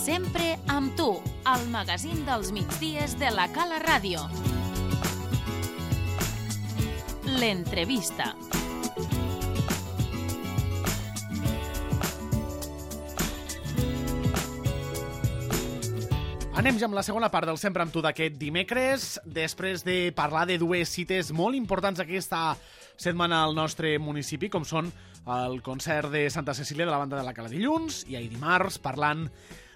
Sempre amb tu, al magazín dels migdies de la Cala Ràdio. L'entrevista. Anem ja amb la segona part del Sempre amb tu d'aquest dimecres, després de parlar de dues cites molt importants aquesta setmana al nostre municipi, com són el concert de Santa Cecília de la Banda de la Cala dilluns i ahir dimarts, parlant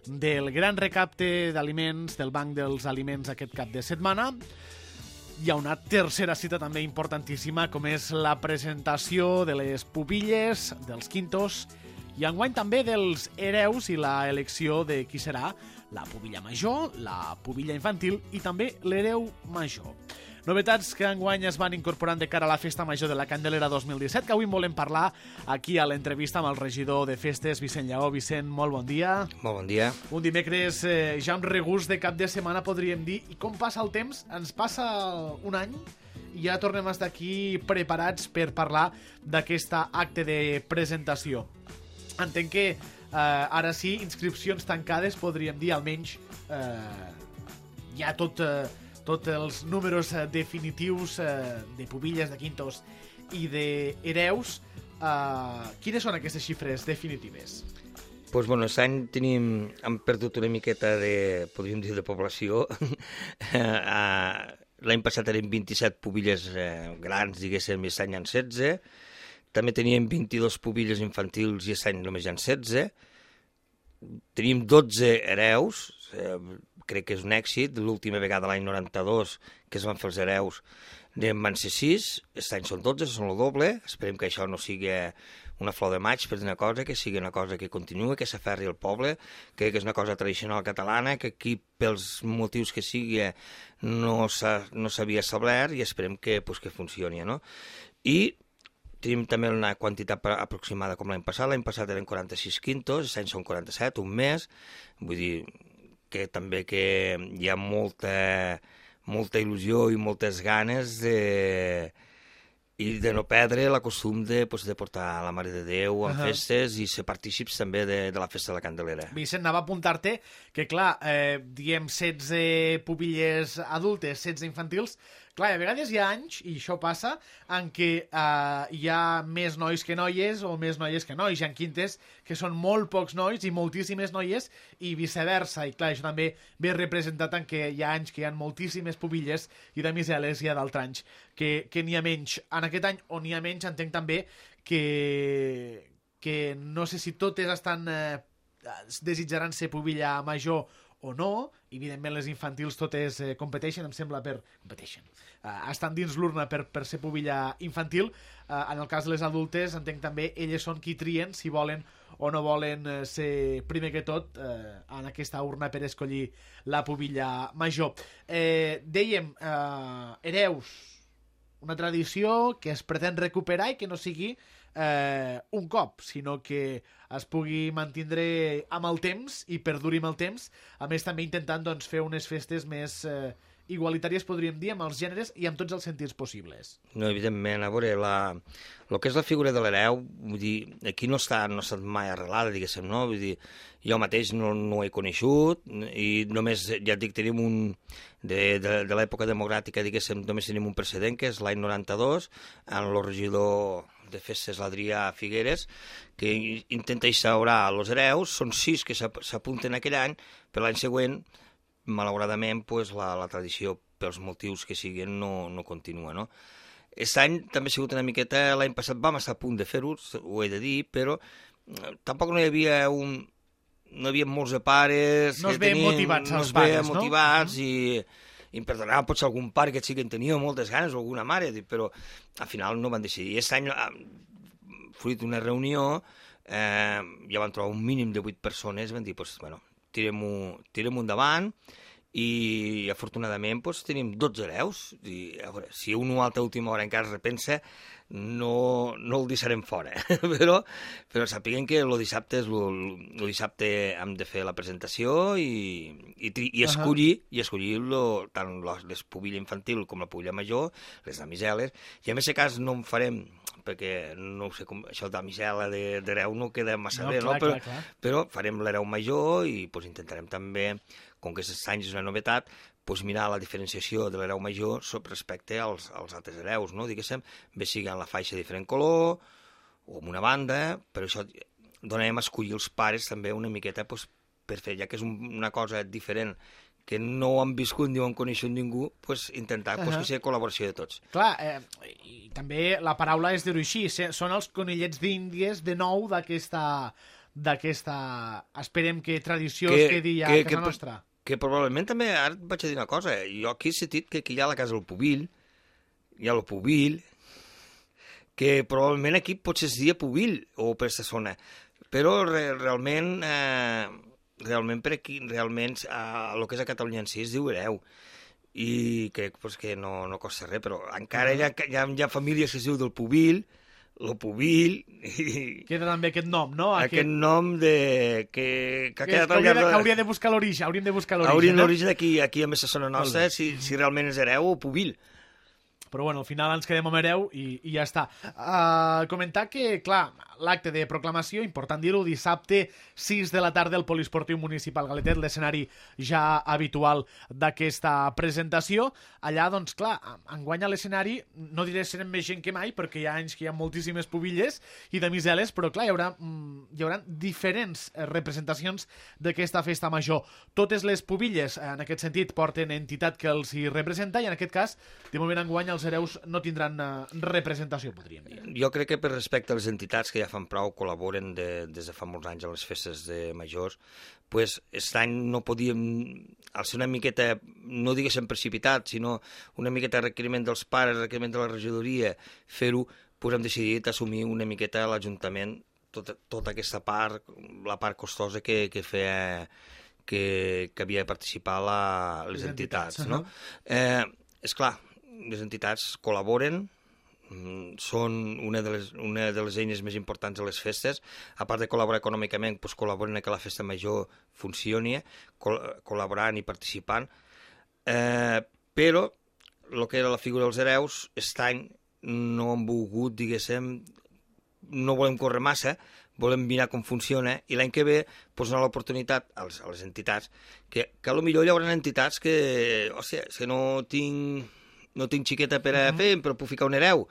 del gran recapte d'aliments del Banc dels Aliments aquest cap de setmana. Hi ha una tercera cita també importantíssima, com és la presentació de les pubilles, dels quintos, i enguany també dels hereus i la elecció de qui serà la pubilla major, la pubilla infantil i també l'hereu major. Novetats que enguany es van incorporant de cara a la Festa Major de la Candelera 2017, que avui en volem parlar aquí a l'entrevista amb el regidor de Festes, Vicent Lleó. Vicent, molt bon dia. Molt bon dia. Un dimecres ja amb regust de cap de setmana, podríem dir. I com passa el temps? Ens passa un any i ja tornem a estar aquí preparats per parlar d'aquest acte de presentació. Entenc que ara sí, inscripcions tancades, podríem dir, almenys ja tots els números definitius de pubilles, de quintos i d'hereus. Quines són aquestes xifres definitives? Doncs, bueno, aquest any hem perdut una miqueta de, podríem dir, de població. L'any passat eren 27 pubilles grans, diguéssim, i aquest any hi ha 16. També teníem 22 pubilles infantils i aquest any només hi ha 16. Teníem 12 hereus, crec que és un èxit. L'última vegada, l'any 92, que es van fer els hereus, van ser 6. Aquest any són 12, són el doble. Esperem que això no sigui una flor de maig, per dir una cosa, que sigui una cosa que continua, que s'aferri al poble. Crec que és una cosa tradicional catalana, que aquí, pels motius que sigui, no s'havia establert i esperem que funcioni, no? I tenim també una quantitat aproximada com l'any passat. L'any passat eren 46 quintos, aquest any són 47, un mes. Vull dir que també que hi ha molta il·lusió i moltes ganes de no perdre la costum de portar la Mare de Déu en festes i ser partícips també de la Festa de la Candelera. Vicent, anava a apuntar-te que, clar, diem 16 pubilles adultes, 16 infantils. Clar, a vegades hi ha anys, i això passa, en què hi ha més nois que noies o més noies que nois. Hi ha quintes que són molt pocs nois i moltíssimes noies i viceversa. I clar, això també ve representat en què hi ha anys que hi ha moltíssimes pubilles i de miseles hi ha d'altres anys que n'hi ha menys. En aquest any on n'hi ha menys entenc també que no sé si totes desitjaran ser pubilla major o no. Evidentment les infantils totes competeixen, em sembla, estan dins l'urna per ser pubilla infantil. En el cas de les adultes, entenc també, elles són qui trien si volen o no volen ser primer que tot en aquesta urna per escollir la pubilla major. Dèiem, hereus, una tradició que es pretén recuperar i que no sigui un cop, sinó que es pugui mantindre amb el temps i perduri amb el temps, a més també intentant fer unes festes més igualitàries, podríem dir, amb els gèneres i amb tots els sentits possibles. No, evidentment, a veure, el que és la figura de l'hereu, vull dir, aquí no ha estat mai arrelada, diguéssim, no? Vull dir, jo mateix no ho he coneixut i només, ja et dic, tenim de l'època democràtica, diguéssim, només tenim un precedent, que és l'any 92, en el regidor de festes, l'Adrià Figueres, que intenta instaurar els hereus. Són 6 que s'apunten aquell any, però l'any següent, malauradament, la tradició, pels motius que siguin, no continua, no? Aquest any també ha sigut una miqueta... L'any passat vam estar a punt de fer-ho, ho he de dir, però tampoc no hi havia no hi havia molts de pares... No es veien motivats els pares, no? Motivats i em perdonava potser algun pare que sí que en tenia moltes ganes o alguna mare, però al final no van decidir. I aquest any, fruit d'una reunió, ja van trobar un mínim de 8 persones i van dir, bueno, tirem-ho endavant, i afortunadament tenim 12 hereus. I, a veure, si un o altre última hora encara es repensa, no el deixarem fora. però sapiguem que el dissabte hem de fer la presentació i escollir tant les pubilla infantil com la pubilla major, les damiseles, i en aquest cas no en farem perquè no ho sé com, això de misela d'hereu no queda massa bé, clar, no? clar. Però farem l'hereu major i pues, intentarem també, com que aquest any és una novetat, pues, mirar la diferenciació de l'hereu major respecte als altres hereus, no? Diguéssim, bé sigui en la faixa de diferent color o amb una banda, però això donem a escollir els pares també una miqueta pues, per fer, ja que és una cosa diferent que no ho han viscut ni ho han coneixut ningú, pues, intentar pues, que sigui col·laboració de tots. Clar, i també la paraula és dir-ho així, són els conillets d'Índies de nou d'aquesta, esperem que tradició es quedi a casa nostra. Que probablement també, ara et vaig a dir una cosa, jo aquí he sentit que aquí hi ha la casa del Pubill, hi ha el Pubill, que probablement aquí potser es dia Pubill o per aquesta zona, però realment per aquí, realment, el que és a Catalunya en si es diu hereu, i crec pues, que no costa res, però encara hi ha famílies que es diu del Pubill, el Pubill... Queda també aquest nom, no? Aquest nom que ha quedat al llarg... Hauria de buscar l'origen, hauríem de buscar l'origen. Hauríem l'origen aquí a la zona nostra, si realment és hereu o Pubill. Però bueno, al final ens quedem amb hereu i ja està. Comentar que, clar, l'acte de proclamació, important dir-ho, dissabte 6 de la tarda al Poliesportiu Municipal Galetet, l'escenari ja habitual d'aquesta presentació. Allà, doncs, clar, enguany a l'escenari, no diré serem més gent que mai, perquè hi ha anys que hi ha moltíssimes pubilles i de miseles, però clar, hi haurà diferents representacions d'aquesta festa major. Totes les pubilles, en aquest sentit, porten entitat que els hi representa i en aquest cas, de moment enguany, els hereus no tindran representació, podríem dir. Jo crec que per respecte a les entitats que ja fan prou, col·laboren des de fa molts anys a les festes de majors, pues, aquest any no podíem, al ser una miqueta, no diguéssim precipitat, sinó una miqueta requeriment dels pares, requeriment de la regidoria, fer-ho, pues hem decidit assumir una miqueta a l'Ajuntament tota aquesta part, la part costosa que feia que havia de participar les entitats. No? És clar, les entitats col·laboren, són una de les eines més importants de les festes, a part de col·laborar econòmicament, doncs col·laboren que la festa major funcioni, col·laborant i participant, però el que era la figura dels hereus, aquest any no hem volgut, diguéssim, no volem córrer massa, volem mirar com funciona, i l'any que ve doncs, donar l'oportunitat a les entitats, que potser hi haurà entitats que, hòstia, que no tinc xiqueta per a fer, però puc ficar un hereu.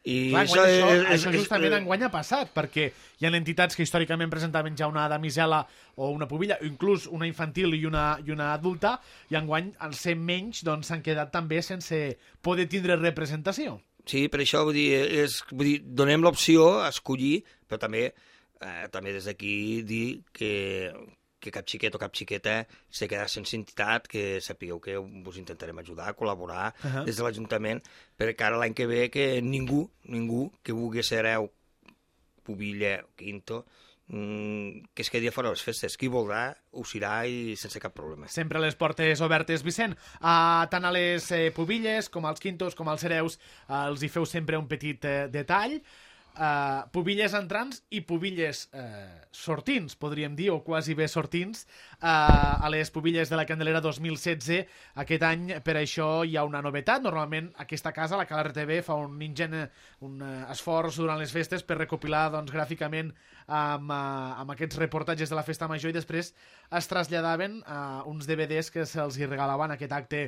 I clar, això justament enguany ha passat, perquè hi ha entitats que històricament presentaven ja una damisela o una pubilla, o inclús una infantil i una adulta, i enguany, al ser menys, doncs s'han quedat també sense poder tindre representació. Sí, per això vull dir, donem l'opció a escollir, però també des d'aquí dir que cap xiquet o cap xiqueta s'ha quedat sense entitat, que sapigueu que us intentarem ajudar, col·laborar des de l'Ajuntament, perquè ara l'any que ve que ningú que vulgui ser hereu, pubilla o quinto, que es quedi a fora de les festes. Qui voldrà ho serà i sense cap problema. Sempre les portes obertes, Vicent. Tant a les pubilles com als quintos com als hereus els hi feu sempre un petit detall. Pubilles entrants i pubilles sortins, podríem dir, o quasi bé sortins, a les pubilles de la Candelera 2016. Aquest any, per això, hi ha una novetat. Normalment, aquesta casa, la Cala RTV, fa un esforç durant les festes per recopilar doncs, gràficament amb aquests reportatges de la festa major, i després es traslladaven uns DVDs que se'ls hi regalaven aquest acte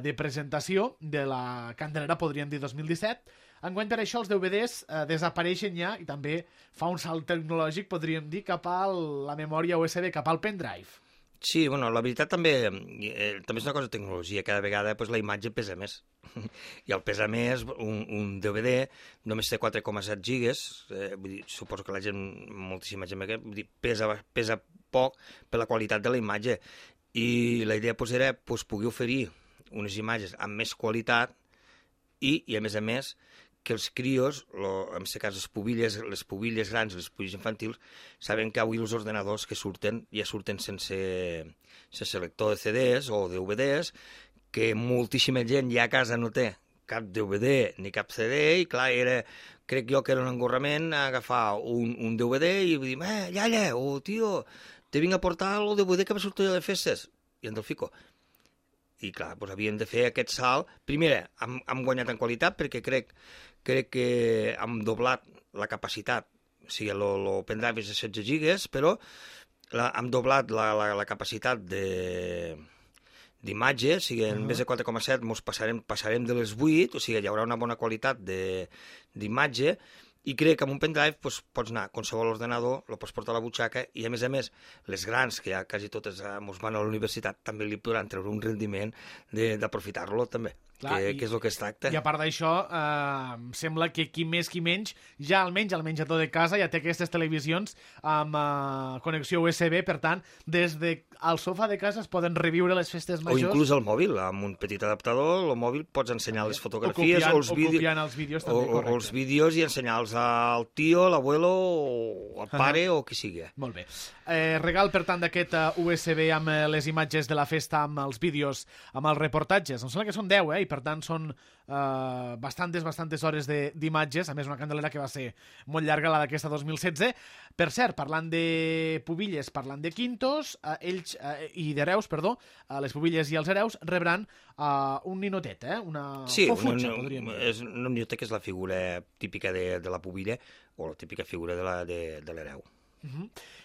de presentació de la Candelera, podríem dir 2017. Enguany, per això, els DVDs desapareixen ja i també fa un salt tecnològic, podríem dir, cap a la memòria USB, cap al pendrive. Sí, bueno, la veritat també és una cosa de tecnologia. Cada vegada pues, la imatge pesa més. I el pesa més, un DVD només té 4,7 gigas, vull dir, suposo que la gent, moltíssima gent, vull dir, pesa poc per la qualitat de la imatge. I la idea pues, era pues, poder oferir unes imatges amb més qualitat i a més, que els crios, en aquest cas les pubilles grans i les pubilles infantils, saben que avui els ordenadors que surten ja surten sense lector de CDs o DVDs, que moltíssima gent ja a casa no té cap DVD ni cap CD, i clar, crec jo que era un engorrament agafar un DVD i dir, iaia, o tio, te vinc a portar el DVD que va sortir de festes, i en te'l fico. I clar, doncs havíem de fer aquest salt. Primer, hem guanyat en qualitat, perquè crec crec que hem doblat la capacitat, o sigui, el pendrive és de 16 gigas, però hem doblat la capacitat d'imatge, o sigui, en vez de 4,7 passarem de les 8, o sigui, hi haurà una bona qualitat d'imatge, i crec que amb un pendrive pots anar a qualsevol ordenador, el pots portar a la butxaca, i a més, les grans, que ja quasi totes ens van a la universitat, també li podran treure un rendiment d'aprofitar-lo també. Clar, que és el que es tracta. I a part d'això, sembla que qui més qui menys, ja almenys al menjador de casa ja té aquestes televisions amb connexió USB, per tant, des del sofà de casa es poden reviure les festes majors. O inclús el mòbil, amb un petit adaptador, el mòbil pots ensenyar les fotografies o els vídeos, també, o els vídeos i ensenyar-los al tio, l'abuelo, o al pare o qui sigui. Molt bé. Regal, per tant, d'aquest USB amb les imatges de la festa, amb els vídeos, amb els reportatges. Em sembla que són 10, i per tant són bastantes hores d'imatges, a més una Candelera que va ser molt llarga, la d'aquesta 2016. Per cert, parlant de pubilles, parlant de quintos, ells i d'hereus, perdó, les pubilles i els hereus rebran un ninotet, una fofutxa, podríem dir. Un ninotet que és la figura típica de la pubilla o la típica figura de l'hereu.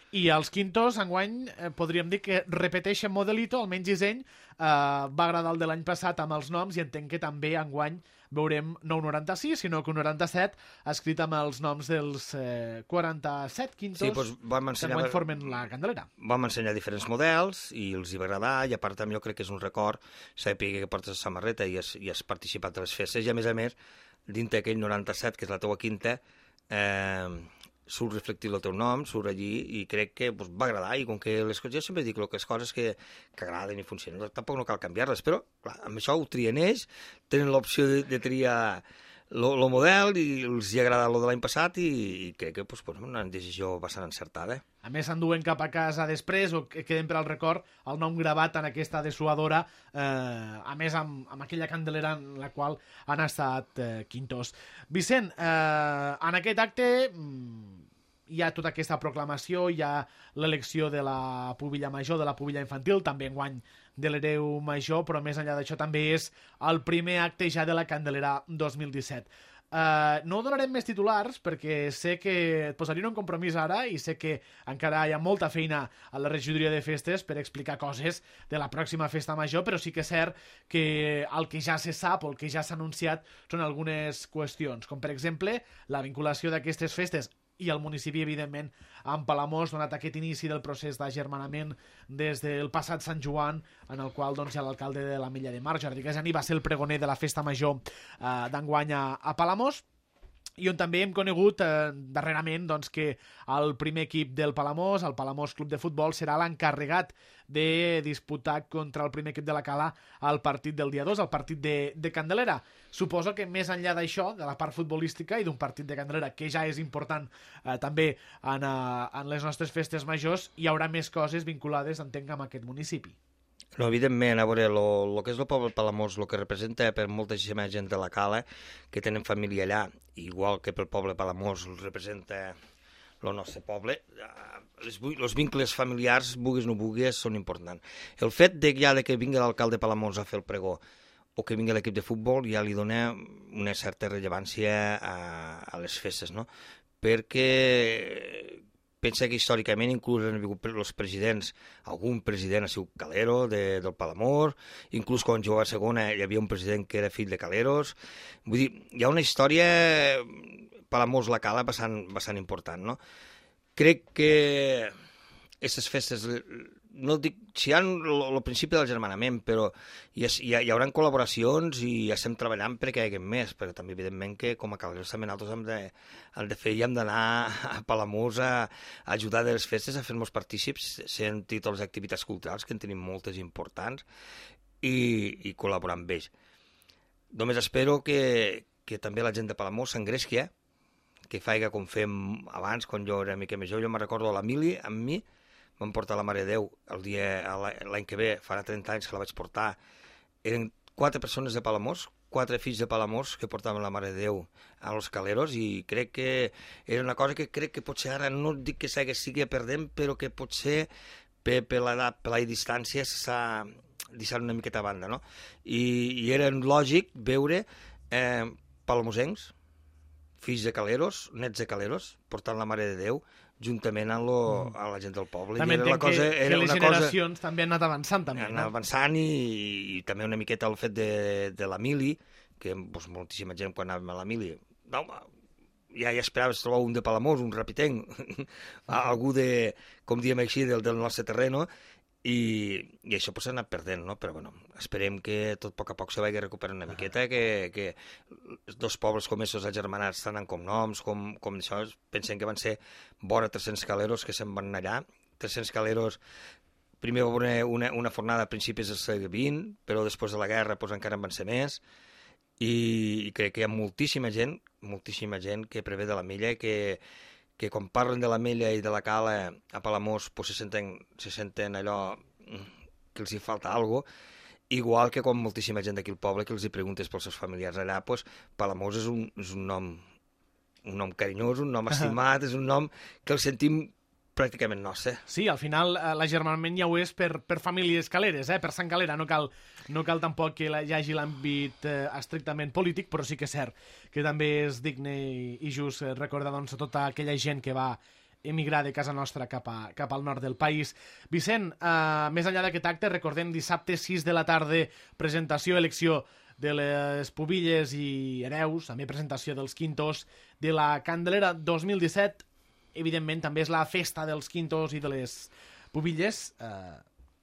I els quintos, enguany, podríem dir que repeteixen modelito, almenys disseny, va agradar el de l'any passat amb els noms i entenc que també enguany veurem no un 96, sinó que un 97 escrit amb els noms dels 47 quintos que enguany formen la Candelera. Vam ensenyar diferents models i els hi va agradar, i a part també jo crec que és un record saber que portes la samarreta i has participat de les festes, i a més, dintre aquell 97, que és la teua quinta, surt reflectit el teu nom, surt allí, i crec que va agradar, i com que les coses, jo sempre dic que les coses que agraden i funcionen, tampoc no cal canviar-les, però clar, amb això ho trien ells, tenen l'opció de triar el model, i els hi agrada el de l'any passat, i crec que una decisió bastant encertada. A més, s'enduen cap a casa després, o que queden per al record, el nom gravat en aquesta dessuadora, a més amb aquella Candelera en la qual han estat quintos. Vicent, en aquest acte hi ha tota aquesta proclamació, hi ha l'elecció de la pubilla major, de la pubilla infantil, també enguany de l'hereu major, però més enllà d'això també és el primer acte ja de la Candelera 2017. No donarem més titulars perquè sé que et posarien un compromís ara i sé que encara hi ha molta feina a la regidoria de festes per explicar coses de la pròxima festa major, però sí que és cert que el que ja se sap o el que ja s'ha anunciat són algunes qüestions, com per exemple la vinculació d'aquestes festes i el municipi, evidentment, amb Palamós, donat aquest inici del procés d'agermanament des del passat Sant Joan, en el qual hi ha l'alcalde de l'Ametlla de Mar, Jordi Casani, va ser el pregoner de la festa major d'enguany a Palamós, i on també hem conegut darrerament que el primer equip del Palamós, el Palamós Club de Futbol, serà l'encarregat de disputar contra el primer equip de la Cala el partit del dia 2, el partit de Candelera. Suposo que més enllà d'això, de la part futbolística i d'un partit de Candelera, que ja és important també en les nostres festes majors, hi haurà més coses vinculades, entenc, amb aquest municipi. No, evidentment, a veure, el que és el poble de Palamós, el que representa per moltíssima gent de la Cala, que tenen família allà, igual que pel poble de Palamós representa el nostre poble, els vincles familiars, vulguis o no vulguis, són importants. El fet de que vingui l'alcalde de Palamós a fer el pregó, o que vingui l'equip de futbol, ja li dona una certa rellevància a les festes, no? Perquè pensa que històricament inclús han vingut els presidents, algun president ha sigut Calero del Palamós, inclús quan jugava a segona hi havia un president que era fill de Caleros. Vull dir, hi ha una història Palamós-La Cala bastant important, no? Crec que aquestes festes, no dic, si hi ha el principi del germanament, però hi haurà col·laboracions i estem treballant perquè hi hagi més, però també evidentment que com a Caleros també nosaltres hem de fer i hem d'anar a Palamós a ajudar de les festes, a fer-nos partícips, sent totes les activitats culturals, que en tenim moltes importants, i col·laborar amb ells. Només espero que també la gent de Palamós s'engresqui, que faci com fem abans, quan jo era mica més jove. Jo me'n recordo l'Emili, amb mi, vam portar la Mare de Déu l'any que ve, farà 30 anys que la vaig portar. Eren 4 persones de Palamós, 4 fills de Palamós que portaven la Mare de Déu a los Caleros, i crec que era una cosa que crec que potser ara no dic que sigui perdent, però que potser per l'edat, per la distància s'ha deixat una miqueta a banda, no? I era lògic veure palamosencs fills de caleros, nets de caleros, portant la Mare de Déu, juntament amb la gent del poble. També entenc que les generacions també han anat avançant. Han anat avançant i també una miqueta el fet de la mili, que moltíssima gent quan anàvem a la mili, no, ja esperaves trobar un de Palamós, un rapitenc, algú de, com diem així, del nostre terreno, i això s'ha anat perdent, no? Però bueno, esperem que tot a poc se vagi recuperant una miqueta, que dos pobles com estos agermanats tant en cognoms com això, pensem que van ser vora 300 caleros que se'n van anar allà. 300 caleros, primer va haver una fornada a principis del segle XX, però després de la guerra encara en van ser més, i crec que hi ha moltíssima gent que prevé de la Mella, que quan parlen de la Mella i de la Cala a Palamós se senten allò que els hi falta alguna cosa, igual que quan moltíssima gent d'aquí al poble que els hi preguntes pels seus familiars allà, Palamós és un nom carinyós, un nom estimat, és un nom que el sentim pràcticament nostre. Sí, al final l'agermanament ja ho és per famílies caleres, per Sant Calera. No cal tampoc que hi hagi l'àmbit estrictament polític, però sí que és cert que també és digne i just recordar tota aquella gent que va emigrar de casa nostra cap al nord del país. Vicent, més enllà d'aquest acte, recordem dissabte 6 de la tarda, presentació, elecció de les pubilles i hereus, també presentació dels quintos de la Candelera 2017. Evidentment, també és la festa dels quintos i de les pubilles.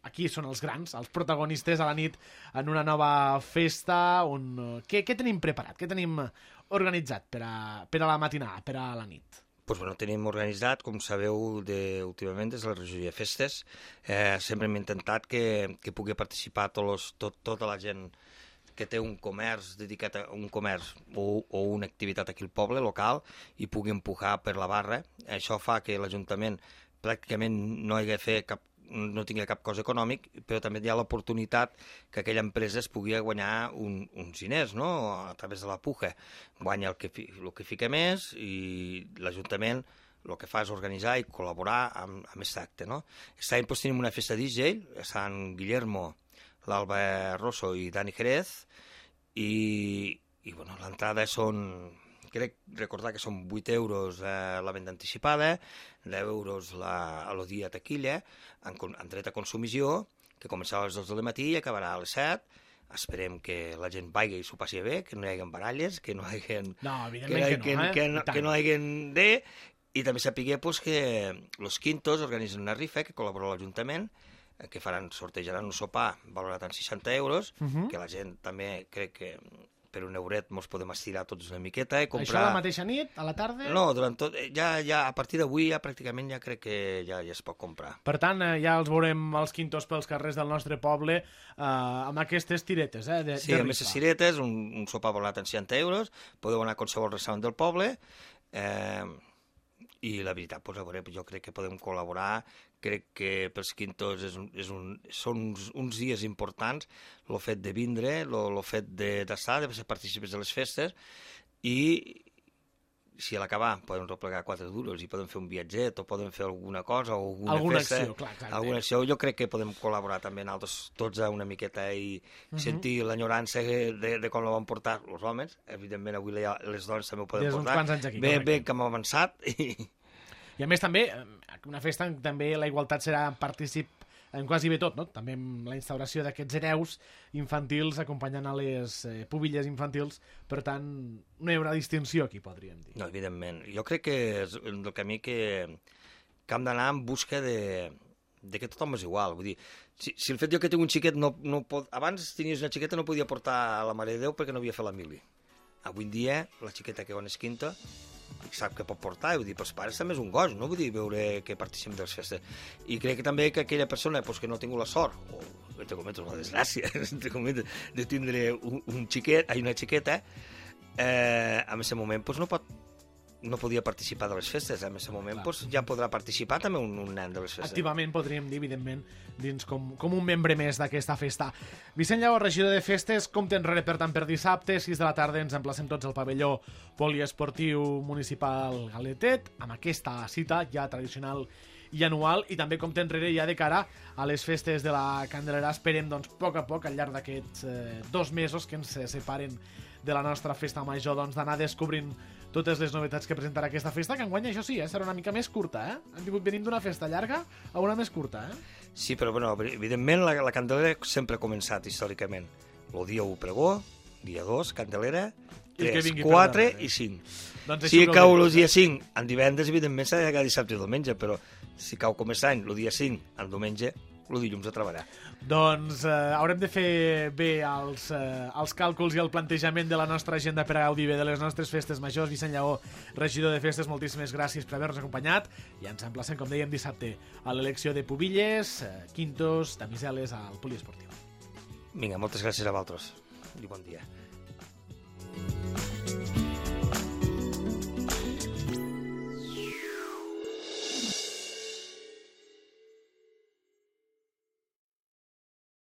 Aquí són els grans, els protagonistes a la nit en una nova festa. Què tenim preparat? Què tenim organitzat per a la matinada, per a la nit? Doncs bueno, tenim organitzat, com sabeu, últimament des de la regió de festes. Sempre hem intentat que pugui participar tota la gent que té un comerç dedicat a un comerç o una activitat aquí al poble local i pugui empujar per la barra. Això fa que l'Ajuntament pràcticament no tingui cap cost econòmic, però també hi ha l'oportunitat que aquella empresa es pugui guanyar uns diners, no? A través de la puja. Guanya el que fica més i l'Ajuntament el que fa és organitzar i col·laborar amb aquest acte, no? Aquest any tenim una festa DJ, Sant Guillermo, l'Alba Rosso i Dani Jerez, i bueno, l'entrada crec recordar que són 8 euros la venda anticipada, 10 euros el dia taquilla, en dret a consumició, que començava a les 2 del matí i acabarà a les 7. Esperem que la gent vagi i s'ho passi bé, que no hi hagi baralles, que no hi hagi... No, evidentment que no hi hagi i també sapiguer que los quintos organitzen una rifa que col·labora l'Ajuntament, que sortejaran un sopar valorat en 60 euros, que la gent també crec que per un euret ens podem estirar tots una miqueta i comprar... Això la mateixa nit, a la tarda? No, durant tot... Ja a partir d'avui pràcticament ja crec que ja es pot comprar. Per tant, ja els veurem els quintos pels carrers del nostre poble amb aquestes tiretes, de sí, amb aquestes tiretes, un sopar valorat en 60 euros, podeu anar a qualsevol restaurant del poble, i la veritat, a veure, jo crec que podem col·laborar, crec que pels quintos són uns dies importants, el fet de vindre, el fet d'estar, de ser partícips de les festes, i si a l'acabar podem replegar 4 duros i podem fer un viatget o podem fer alguna cosa o alguna festa, acció, clar, alguna acció, jo crec que podem col·laborar també nosaltres tots una miqueta i sentir l'enyorança de com la van portar els homes. Evidentment avui les dones també ho poden portar. Bé que hem avançat. I a més també, una festa en també la igualtat serà partícip en quasi bé tot, no? També amb la instauració d'aquests hereus infantils acompanyant a les pubilles infantils, per tant, no hi haurà distinció aquí, podríem dir. No, evidentment. Jo crec que és el camí que hem d'anar en busca de que tothom és igual. Vull dir, si el fet que tinc un xiquet abans tenies una xiqueta no podia portar a la Mare de Déu perquè no havia fet la mili. Avui en dia, la xiqueta que va és quinta sap que pot portar, i vull dir, pels pares també és un goig, no? Vull dir, veure que participem de les festes. I crec que també que aquella persona que no ha tingut la sort, o entre cometes la desgràcia, entre cometes, de tindre una xiqueta, en aquest moment no podia participar de les festes, en aquest moment ja podrà participar també un nen de les festes. Activament podríem dir, evidentment, dins com un membre més d'aquesta festa. Vicent Lleó, regidor de festes, compte enrere, per tant, per dissabte, 6 de la tarda, ens emplacem tots al pavelló poliesportiu municipal Galetet, amb aquesta cita ja tradicional i anual, i també compte enrere ja de cara a les festes de la Candelera. Esperem, doncs, a poc, al llarg d'aquests 2 mesos que ens separen de la nostra festa major, doncs, d'anar descobrint totes les novetats que presentarà aquesta festa, que enguany, això sí, serà una mica més curta, venim d'una festa llarga a una més curta, Sí, però, bueno, evidentment, la Candelera sempre ha començat, històricament. El dia 1, pregó, dia 2, Candelera, 3, 4 i 5. Doncs si cau el dia 5, en divendres, evidentment, s'ha de llegar dissabte i diumenge, però si cau com és any, el dia 5, en diumenge, el dilluns a treballar. Doncs haurem de fer bé els càlculs i el plantejament de la nostra agenda per a gaudir bé de les nostres festes majors. Vicent Lleó, regidor de festes, moltíssimes gràcies per haver-nos acompanyat i ens emplacem, com dèiem, dissabte a l'elecció de pubilles, quintos, damiseles al poliesportiu. Vinga, moltes gràcies a vosaltres i bon dia.